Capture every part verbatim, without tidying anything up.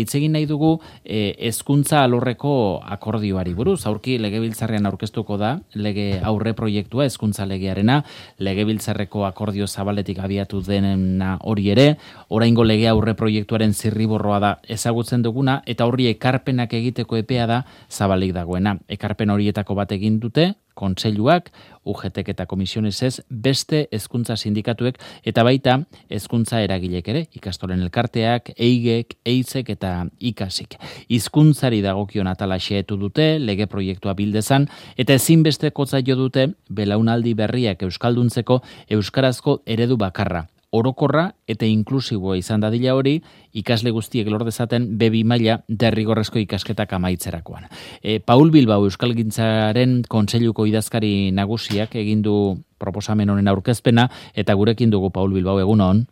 Hitz egin nahi dugu eh, hezkuntza alorreko akordioari buruz. Aurki legebiltzarrean aurkeztuko da lege aurre proiektua hezkuntza legearena, legebiltzarreko akordio zabaletik abiatu dena hori ere, oraingo lege aurre proiektuaren zirriborroa da ezagutzen duguna eta horri ekarpenak egiteko epea da zabalik dagoena. Ekarpen horietako bat egin dute kontseiluak, U G T eta komisionesez, beste hezkuntza sindikatuek eta baita hezkuntza eragilek ere, ikastolen elkarteak, eigek, eizek eta ikasik. Hizkuntzari dagokion atala xehetu dute, lege proiektua bildezan, eta ezinbesteko zaio dute belaunaldi berriak euskalduntzeko euskarazko eredu bakarra. Orokorra eta inklusiboa izan dadila hori, ikasle guztiek lor dezaten be bi maila derrigorrezko ikasketak amaitzerakoan. E, Paul Bilbao Euskalgintzaren Kontseiluko idazkari nagusiak egin du proposamen honen aurkezpena, eta gurekin dugu Paul Bilbao, egunon.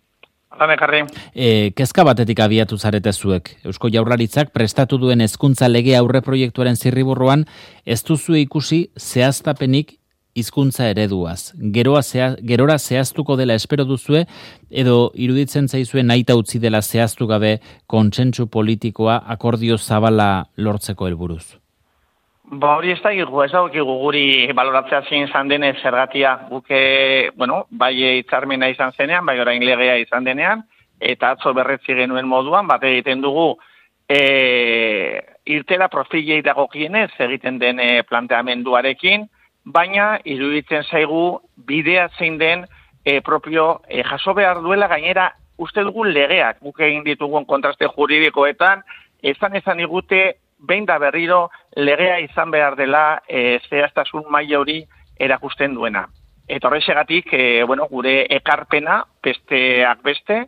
E, kezka batetik abiatu zarete zuek. Eusko Jaurlaritzak prestatu duen hezkuntza lege aurre proiektuaren zirriborroan ez duzue ikusi zehaztapenik hizkuntza ereduaz. Geroa zea, gerora zehaztuko dela espero duzue, edo iruditzen zaizue nahita utzi dela zehaztu gabe kontsentsu politikoa akordio zabala lortzeko helburuz? Ba hori ez da gigu, ez da guri baloratzea zein izan denez zergatia buke, bueno, bai hitzarmena izan zenean, bai orain legea izan denean, eta atzo berretzi genuen moduan, bat egiten dugu e, irtera profilei dagokienez egiten den planteamenduarekin, baina iruditzen zaigu bidea zein den e, propio e, jaso behar duela gainera uste dugu legeak, guk egin ditugun kontraste juridikoetan, ezan ezan igute behin da berriro legea izan behar dela e, zehaztasun maila hori erakusten duena. Eta horrexegatik, e, bueno, gure ekarpena, besteak beste,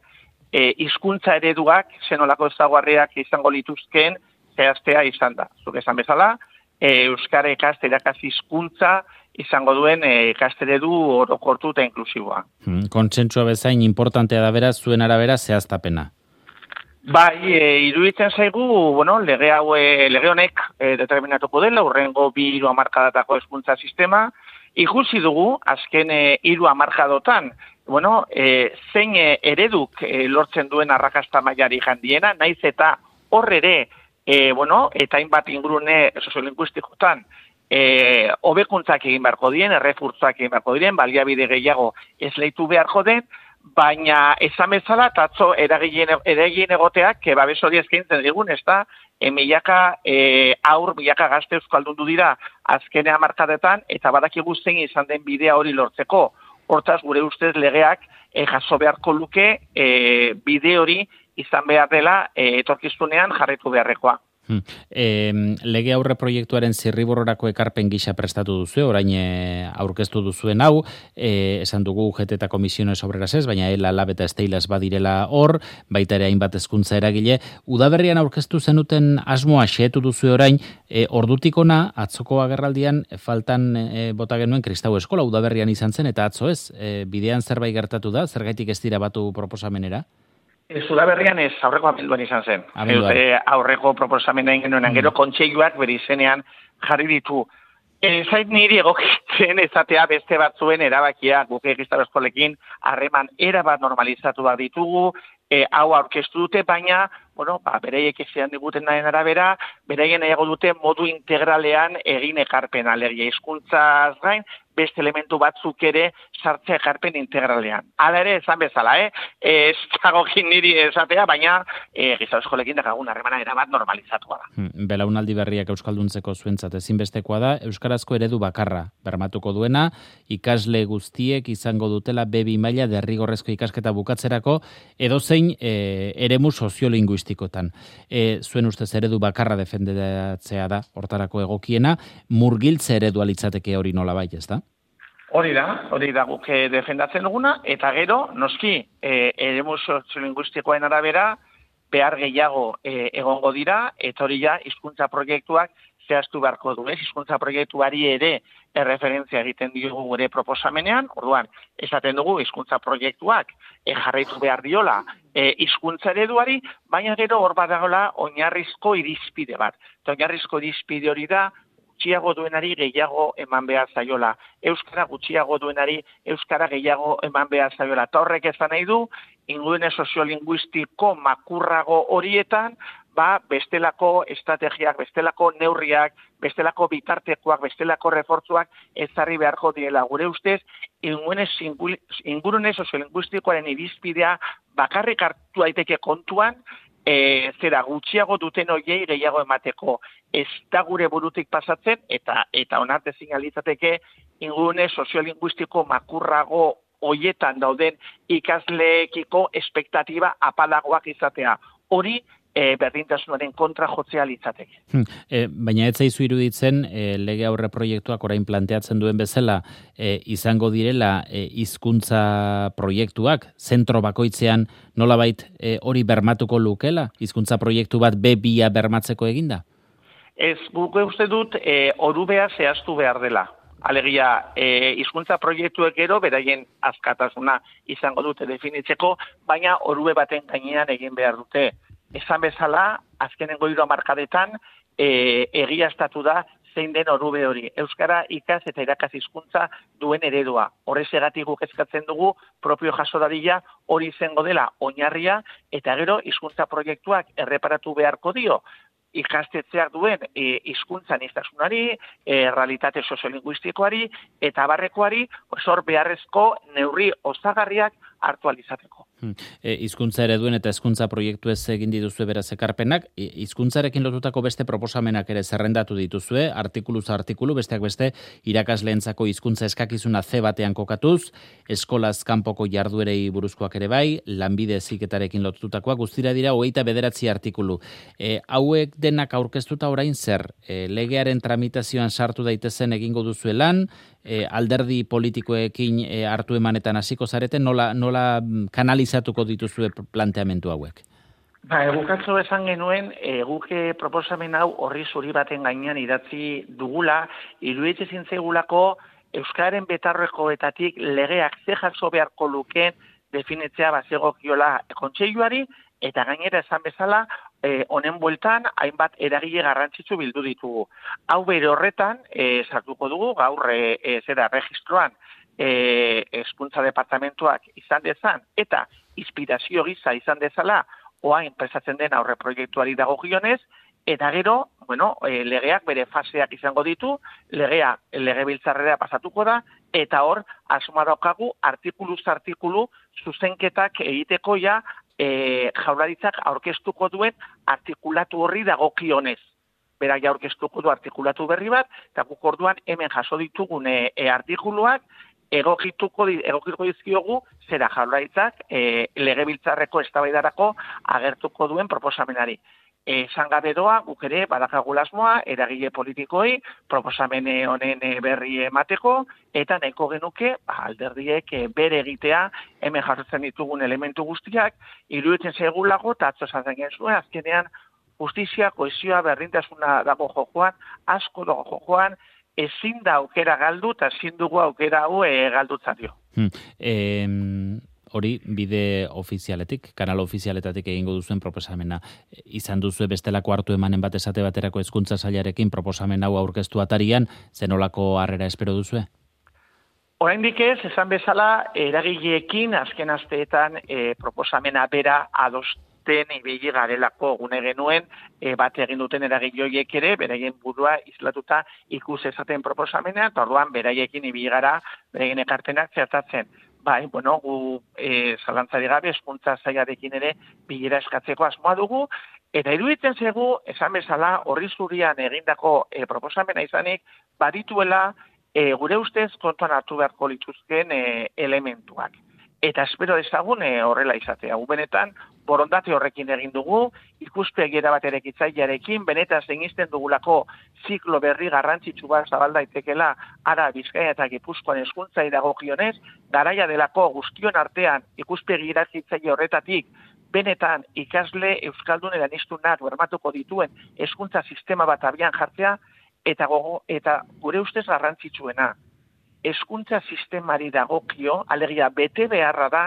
e, hizkuntza ereduak, zenolako ezaugarriak izango lituzkeen zehaztea izan da. Zuk esan bezala, Euskara ikaste irakasle hizkuntza izango duen ikasteredu orokortu eta inklusiboa. Hmm, Kontsentsua bezain importantea da beraz, zuen arabera zehaztapena. Bai, e, iruditzen zaigu, bueno, lege hau e, lege honek e, determinatuko dela hurrengo bi hiru hamarkadatako hezkuntza sistema, ikusi dugu azken e, hiru hamarkadotan, bueno, e, zein e, ereduk e, lortzen duen arrakasta mailari jandiena, naiz eta hor ere E, bueno, eta hainbat ingurune soziolinguistikotan e, hobekuntzak egin beharko dien, errefurzak egin beharko diren, baliabide gehiago esleitu beharko den, baina esan bezala, tatzo eragien egoteak, babes hori eskaintzen digun, ez da, e, milaka e, aur, milaka gazte euskaldundu dira azkenea markadetan, eta badakigu zein izan den bidea hori lortzeko. Hortaz, gure ustez legeak e, jaso beharko luke e, bide hori izan behar dela e, etorkizunean jarraitu beharrekoa. Hmm. E, lege aurre proiektuaren zirriborrorako ekarpen gisa prestatu duzu, orain e, aurkeztu duzuen hau, e, esan dugu U G T eta Komisiones Obreras ez, baina ELA, LAB eta Steilas badirela hor, baita ere hainbat hezkuntza eragile. Udaberrian aurkeztu zenuten asmoa xehetu duzu orain, e, ordutik ona, atzoko agerraldian faltan e, bota genuen Kristau Eskola Udaberrian izan zen, eta atzo ez, e, bidean zerbait gertatu da, zergaitik ez dira batu proposamenera? Udaberrian ez, aurreko abenduan izan zen. E, aurreko proposamena genuen, mm. gero kontseiluak bere izenean jarri ditu. E, zait niri egokitzen ezatea beste batzuen erabakia, guk Kristau Eskolekin harreman erabat normalizatu bat ditugu, e, hau aurkeztu dute, baina, bueno, ba, bereiek ezean diguten nahen arabera, bereien nahiago dute modu integralean egin ekarpena, alegia hizkuntzaz gain, beste elementu batzuk ere sartzea ekarpen integralean. Hala ere, esan bezala, eh? Ez dagokin niri esatea, baina e, Kristau Eskolekin dakagun harremana erabat normalizatua da. Hmm, belaunaldi berriak euskalduntzeko zuentzat ezinbestekoa da, euskarazko eredu bakarra bermatuko duena, ikasle guztiek izango dutela be bi maila derrigorrezko ikasketa bukatzerako, edozein e, eremu soziolinguistikotan. E, zuen ustez eredu bakarra defendatzea da, hortarako egokiena, murgiltze eredua litzateke hori nola bai, ez da? Hori da, hori da guk defendatzen duguna, eta gero, noski, e, eremu soziolinguistikoen arabera, behar gehiago e, egongo dira, eta hori ja, hizkuntza proiektuak zehaztu beharko du, ez? Hizkuntza proiektuari ere erreferentzia egiten diogu gure proposamenean, orduan, esaten dugu hizkuntza proiektuak e, jarraitu behar diola e, hizkuntza ereduari, baina gero hor badagoela oinarrizko irizpide bat. Eta oinarrizko irizpide hori da, gutxiago duenari gehiago eman behar zaiola. Euskara gutxiago duenari euskara gehiago eman behar zaiola. Eta horrek ezan nahi du, ingurune soziolinguistiko makurrago horietan, ba, bestelako estrategiak, bestelako neurriak, bestelako bitartekoak, bestelako refortzuak ezarri beharko diela. Gure ustez, ingurune soziolinguistikoaren irizpidea bakarrik hartu daiteke kontuan, e, zera gutxiago duten hoiei gehiago emateko. Ez da gure burutik pasatzen, eta eta onartezin alitzateke ingurune soziolinguistiko makurrago hoietan dauden ikasleekiko espektatiba apalagoak izatea. Hori E, berdintasunaren kontra jotzea litzateke. Hmm. E, baina ez zaizu iruditzen e, lege aurre proiektuak orain planteatzen duen bezala e, izango direla e, hizkuntza proiektuak zentro bakoitzean nolabait e, hori bermatuko lukela? Hizkuntza proiektu bat be bia bermatzeko eginda? Ez, guk uste dut e, orubea zehaztu behar dela. Alegia, e, hizkuntza proiektuek gero, beraien askatasuna izango dute definitzeko, baina orube baten gainean egin behar dute. Esan bezala, azkenengo hiru hamarkadetan e, egiaztatu da zein den orube hori. Euskara ikas eta irakas hizkuntza duen eredua. Horrezegatik guk eskatzen dugu propio jaso dadila hori izango dela oinarria eta gero hizkuntza proiektuak erreparatu beharko dio ikastetzeak duen e, hizkuntza aniztasunari, e, realitate soziolinguistikoari eta abarrekoari hor beharrezko neurri osagarriak hartu alizateko. E, hizkuntza ereduen eta hezkuntza proiektu ez egin dituzue beraz ekarpenak, hizkuntzarekin lotutako beste proposamenak ere zerrendatu dituzue, artikuluz artikulu, besteak beste irakasleentzako hizkuntza eskakizuna ze batean kokatuz, eskolaz kanpoko jarduerei buruzkoak ere bai, lanbide heziketarekin lotutakoak, guztira dira hogeita bederatzi artikulu. E, hauek denak aurkeztuta orain zer, e, legearen tramitazioan sartu daitezen egingo duzue lan, e, alderdi politikoekin e, hartu emanetan hasiko zareten, nola, nola kanalizatuko dituzue planteamendu hauek? Ba, egukatzo esan genuen, eguke proposamen hau horri zuri baten gainean idatzi dugula, iruditzen zintzaigulako Euskararen betarrekoetatik legeak ze jaso beharko lukeen definitzea bazegokiola kontseiluari, eta gainera esan bezala, eh, honen bueltan hainbat eragile garrantzitsu bildu ditugu. Hau bere horretan, eh, sartuko dugu, gaur eh, zera registroan, hezkuntza eh, departamentuak izan dezan, eta inspirazio gisa izan dezala, oain prestatzen den aurre proiektuari dagokionez, eta gero, bueno, e, legeak bere faseak izango ditu, legea legebiltzarrera pasatuko da, eta hor, asuma daukagu, artikuluz artikulu, zuzenketak egiteko ja, e, jaurlaritzak aurkeztuko duen artikulatu horri dagokionez. Berak ja aurkeztuko du artikulatu berri bat, eta guk orduan hemen jaso ditugun e, e, artikuluak, egokituko egokituko dizkiogu zera jaurlaritzak e, legebiltzarreko eztabaidarako agertuko duen proposamenari. Esan gabe doa, guk ere badakagula asmoa, eragile politikoi, proposamen honen berri emateko, eta nahiko genuke alderdiek bere egitea hemen jasotzen ditugun elementu guztiak, iruditzen zaigulako, eta atzo esan zuen, azkenean justizia, kohesioa, berdintasuna dago jokoan, asko dago jokoan, ezin da aukera galdu, eta ezin dugu aukera hau e, galdutzat dio. Hmm. E, hori, bide ofizialetik, kanal ofizialetatik egingo duzuen proposamena. Izan duzue bestelako hartu emanen bat esate baterako hezkuntza sailarekin proposamen hau aurkeztu atarian, zenolako harrera espero duzue? Oraindik ez, esan bezala, eragileekin azken asteetan e, proposamena bera adostu ibili garelako gune genuen, e, bat egin duten eragilioiek ere, beraien burua islatuta ikus ezaten proposamena, eta orduan beraiekin ibili gara, beraien ekarpenak zertatzen. Bai, bueno, gu e, zalantzari gabe, hezkuntza sailarekin ere bilera eskatzeko asmoa dugu, eta iruditzen zaigu, esan bezala, horri zurian egindako e, proposamena izanik, badituela e, gure ustez kontuan hartu beharko lituzken e, elementuak. Eta espero dezagun e, horrela izatea. Gu benetan, borondate horrekin egin dugu, ikuspegiera bat erekitzailearekin, benetan zenisten dugulako ziklo berri garrantzitsu bat zabal daitekela ara Bizkaia eta Gipuzkoan hezkuntzari dagokionez, garaia delako guztion artean ikuspegi erakitzaile horretatik benetan ikasle euskaldun eraniztunak bermatuko dituen hezkuntza sistema bat abian jartzea, eta gogo eta gure ustez garrantzitsuena. Hezkuntza sistemari dagokio, alegia bete beharra da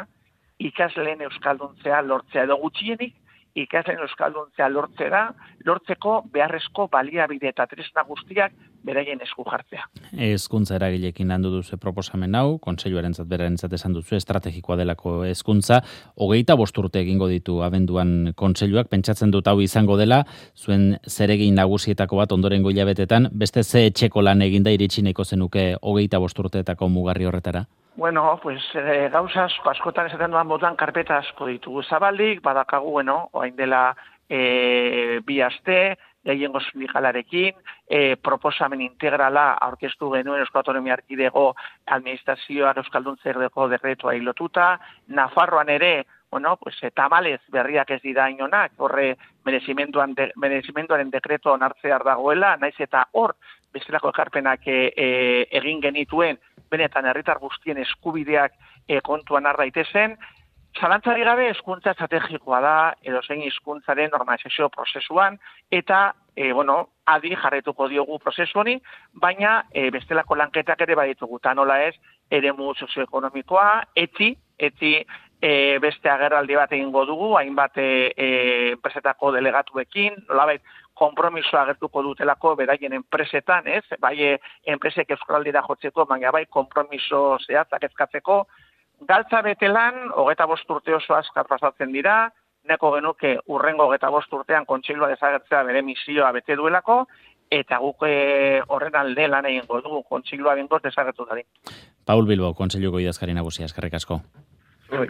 ikasleen euskalduntzea lortzea edo gutxienik ikasleen euskalduntzea lortzera, lortzeko beharrezko baliabide eta tresna guztiak beraien esku jartzea. Hezkuntza eragileekin landu duzu proposamen hau, kontseiluarentzat berarentzat esan duzu estrategikoa delako hezkuntza, hogeita bost urte egingo ditu abenduan kontseiluak, pentsatzen dut hau izango dela, zuen zeregin nagusietako bat ondorengo hilabetetan, beste ze etxeko lan eginda iritsi nahiko zenuke hogeita bost urteetako mugarri horretara? Bueno, pues eh, gauza asko, askotan esaten duan moduan karpeta asko ditugu zabaldik, badakagu, bueno, orain dela e, bi aste, gehiengo sindikalarekin, e, proposamen integrala aurkeztu genuen Euskal Autonomia Erkidego administrazioak euskalduntzeerdeko dekretua lotuta, Nafarroan ere, bueno, pues tamalez berriak ez dira inonak, horre merezimenduan de, merezimenduaren dekreto onartzear dagoela, naiz eta hor bestelako ekarpenak e, e, egin genituen, benetan herritar guztien eskubideak e, kontuan har daitezen. Zalantzari gabe hezkuntza estrategikoa da edozein hizkuntzaren normalizazio prozesuan eta e, bueno, adi jarraituko diogu prozesu honi, baina e, bestelako lanketak ere baditugu ta nola ez eremu sozioekonomikoa, etzi, etzi e, beste agerraldi bat egingo dugu, hainbat e, e, enpresetako delegatuekin, nolabait konpromisoa agertuko dutelako beraien enpresetan, ez? Bai enpresek euskaraldira jotzeko, baina bai konpromiso zehatzak eskatzeko. Galtza betelan, hogeita bost urte oso azkar pasatzen dira, neko genuke urrengo hogeita bost urtean kontseilua desagertzea bere misioa bete duelako, eta guk e, horren alde lan egingo dugu kontseilua bengoz desagertu dadin. Paul Bilbo, kontseiluko idazkari nagusia, eskerrik asko. Ui.